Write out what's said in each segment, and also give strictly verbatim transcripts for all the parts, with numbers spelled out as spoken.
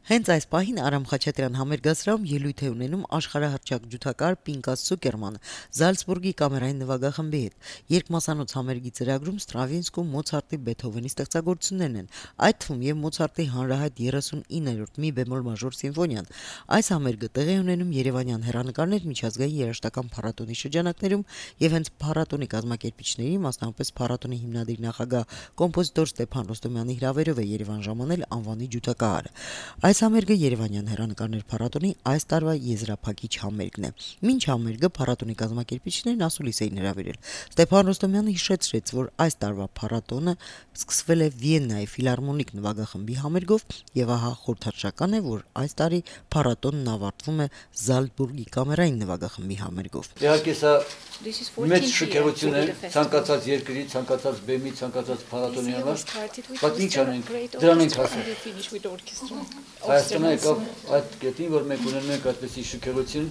Հենց այս պահին Արամ Խաչատրյան համերգասրահում ելույթ է ունենում աշխարհահռչակ ջութակահար Պինկաս Ցուկերմանը Զալցբուրգի կամերային նվագախմբի հետ։ Երկմասանոց համերգի ծրագրում Ստրավինսկու, Մոցարտի, Բեթհովենի ստեղծագործություններն են, այդ թվում եւ Մոցարտի հանրահայտ երեսունիններորդ մի բեմոլ մաժոր սիմֆոնիան։ Այս համերգը տեղի է ունենում Երևանյան հեռանկարներ միջազգային երաժշտական փառատոնի շրջանակներում եւ հենց փառատոնի կազմակերպիչների, մասնավորապես փառատոնի հիմնադիր նախագահ կոմպոզիտոր Ստեփան Ռոստոմյանի հրավերով է Երևան ժամանել անվանի ջութակահարը։ Այս համերգը Երևանյան հեռանկարներ փառատոնի այս տարվա եզրափակիչ համերգն է։ Մինչ համերգը փառատոնի կազմակերպիչներն ասուլիս էին հրավիրել։ Ստեփան Ռոստոմյանը հիշեցրեց, որ այս տարվա փառատոնը սկսվել է Վիեննայի ֆիլհարմոնիկ նվագախմբի համերգով, եւ ահա խորհրդանշական է, որ այս տարի փառատոնն ավարտվում է Զալցբուրգի կամերային նվագախմբի համերգով։ Իհարկե սա մեծ շքեղություն է ցանկացած երկրի, ցանկացած բեմի, ցանկացած փառատոնի համար, բայց ինչ անենք, դրան ենք հասել։ Հայաստանը եկավ այդ կետին, որ մենք ունենում ենք այդպիսի շքեղություն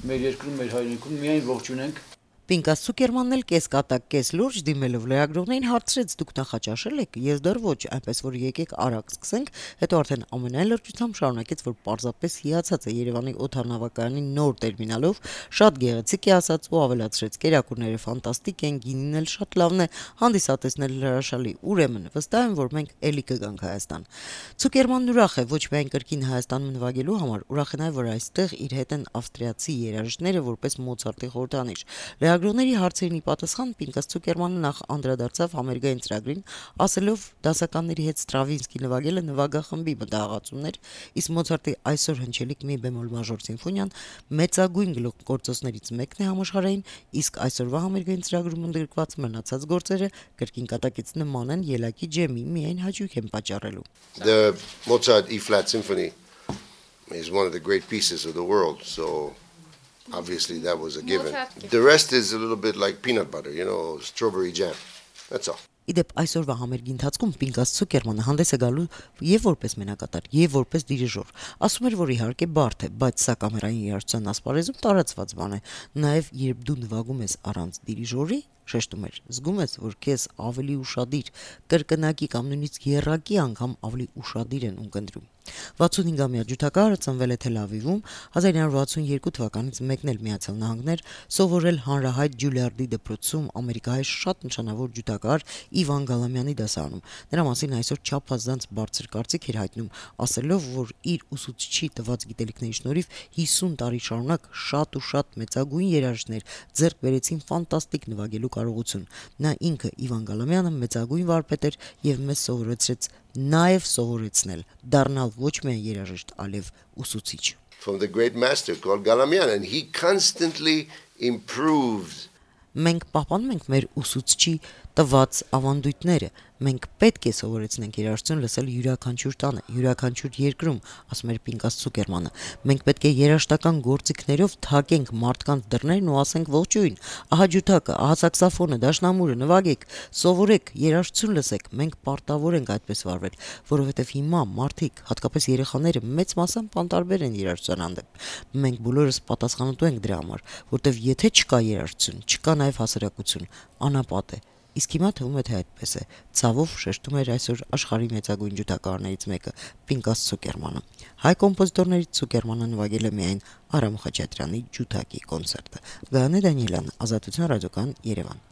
մեր երկրում, մեր հայրենիքում, միայն ողջունենք։ Պինկաս Ցուկերմանն էլ կես կատակ, կես լուրջ դիմելով լրագրողներին հարցրեց՝ դուք նախաճաշել եք, ես դեռ ոչ, այնպես որ եկեք արագ սկսենք, հետո արդեն ամենայն լրջությամբ շարունակեց, որ պարզապես հիացած է Երևանի օդանավակայանի նոր տերմինալով, շատ գեղեցիկ է ասաց ու ավելացրեց՝ կերակուրները ֆանտաստիկ են, գինին էլ շատ լավն է, հանդիսատեսն էլ հրաշալի, ուրեմն վստահ եմ, որ մենք էլի կգանք Հայաստան։ Ցուկերմանն ուրախ է ոչ միայն կրկին Հայաստանում նվագելու համար, ուրախ է նաև, որ այստեղ իր հետ են ավստրիացի երաժիշտները որպես Մոցարտի խորհրդանիշ։ Լրագրողների հարցերին պատասխան Պինկաս Ցուկերմանը նախ անդրադարձավ համերգային ծրագրին, ասելով դասականների հետ Ստրավինսկի նվագելը նվագախմբի մտահղացումներ, իսկ Մոցարտի այսօր հնչելիք մի բեմոլ մաժոր սիմֆոնիան մեծագույն գլուխգործոցներից մեկն է համաշխարհային, իսկ այսօրվա համերգային ծրագրում ընդգրկված մնացած գործերը կրկին կատակից նման են ելակի ջեմի, միայն հաճույք են պատճառելու։ The Mozart E-flat symphony is one of the great pieces of the world, so obviously that was a given. The rest is a little bit like peanut butter, you know, strawberry jam. That's all. Իդեպ այսօրվա համերգի ընթացքում Պինկաս Ցուկերմանը հանդես է գալու եւ որպես մենակատար, եւ որպես դիրիժոր։ Ասում էր, որ իհարկե բարդ է, բայց սա կամերային երաժշտության ասպարեզում տարածված բան է։ Նաեւ երբ դու նվագում ես առանց դիրիժորի, շեշտում էր, զգում ես, որ քեզ ավելի ուշադիր, կրկնակի կամ նույնիսկ եռակի անգամ ավելի ուշադիր են ունկնդրում։ վաթսունհինգամյա ջութակահարը ծնվել է Թել Ավիվում, հազար ինը հարյուր վաթսունյերկու թվականից մեկնել Միացյալ Նահանգներ, սովորել հանրահայտ Ջուլիարդի դպրոցում, ամերիկահայ շատ նշանավոր ջութակահար Իվան Գալամյանի դասարանում։ Նրա մասին այսօր չափազանց բարձր կարծիք էր հայտնում, ասելով, որ իր ուսուցչի տված գիտելիքների շնորհիվ հիսուն տարի շարունակ շատ ու շատ մեծագույն երաժիշտներ ձեռք բերեցին ֆանտաստիկ նվագելու կարողություն։ Նա ինքը Իվան Գալամյանը մեծագույն վարպետ էր եւ մեզ սովորեցրեց նաեւ սովորեցնել դառնալ ոչ միայն երաժիշտ, այլև ուսուցիչ։ From the great master called Galamian, and he constantly improved. Մենք պահպանում ենք մեր ուսուցչի տված ավանդույթները, մենք պետք է սովորեցնենք երաժշտություն լսել յուրաքանչյուր տանը, յուրաքանչյուր երկրում, ասում էր Պինկաս Ցուկերմանը։ Մենք պետք է երաժշտական գործիքներով թակենք մարդկանց դռներն ու ասենք ողջույն, ահա ջութակը, ահա սաքսոֆոնը, դաշնամուրը, նվագեք, սովորեք, երաժշտություն լսեք, մենք պարտավոր ենք այդպես վարվել, որովհետև հիմա մարդիկ, հատկապես երեխաները մեծ մասամբ անտարբեր են երաժշտության հանդեպ։ Մենք բոլորս պատասխանատու ենք դրա համար, որտեվ եթե չկա երաժշտություն, չկա նաև հասարակություն, անապատ է։ Իսկ հիմա թվում է թե այդպես է։ Ցավով շեշտում էր այսօր աշխարհի մեծագույն ջութակահարներից մեկը Պինկաս Ցուկերմանը։ Հայ կոմպոզիտորներից Ցուկերմանը նվագել է միայն Արամ Խաչատրյանի ջութակի կոնցերտը։ Գայանե Դանիելյան, Ազատություն ռադիոկան, Երևան։